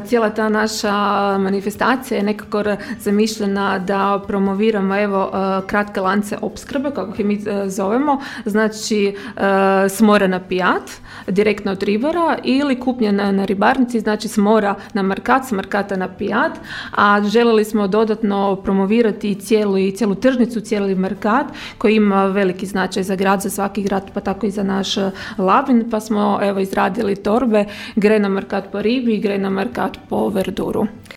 cijela ta naša manifestacija je nekako zamišljena da promoviramo kratke lance opskrbe, kako ih mi zovemo, znači s mora na pijat, direktno od ribara, ili kupnja na ribarnici, znači s mora na markat, s markata na pijat, a željeli smo dodatno promovirati cijelu tržnicu, cijeli markat koji ima veliki značaj za grad, za svaki grad, pa tako i za naš Labin, pa smo izradili torbe, gre na markat po ribi, gre na markat po verduru.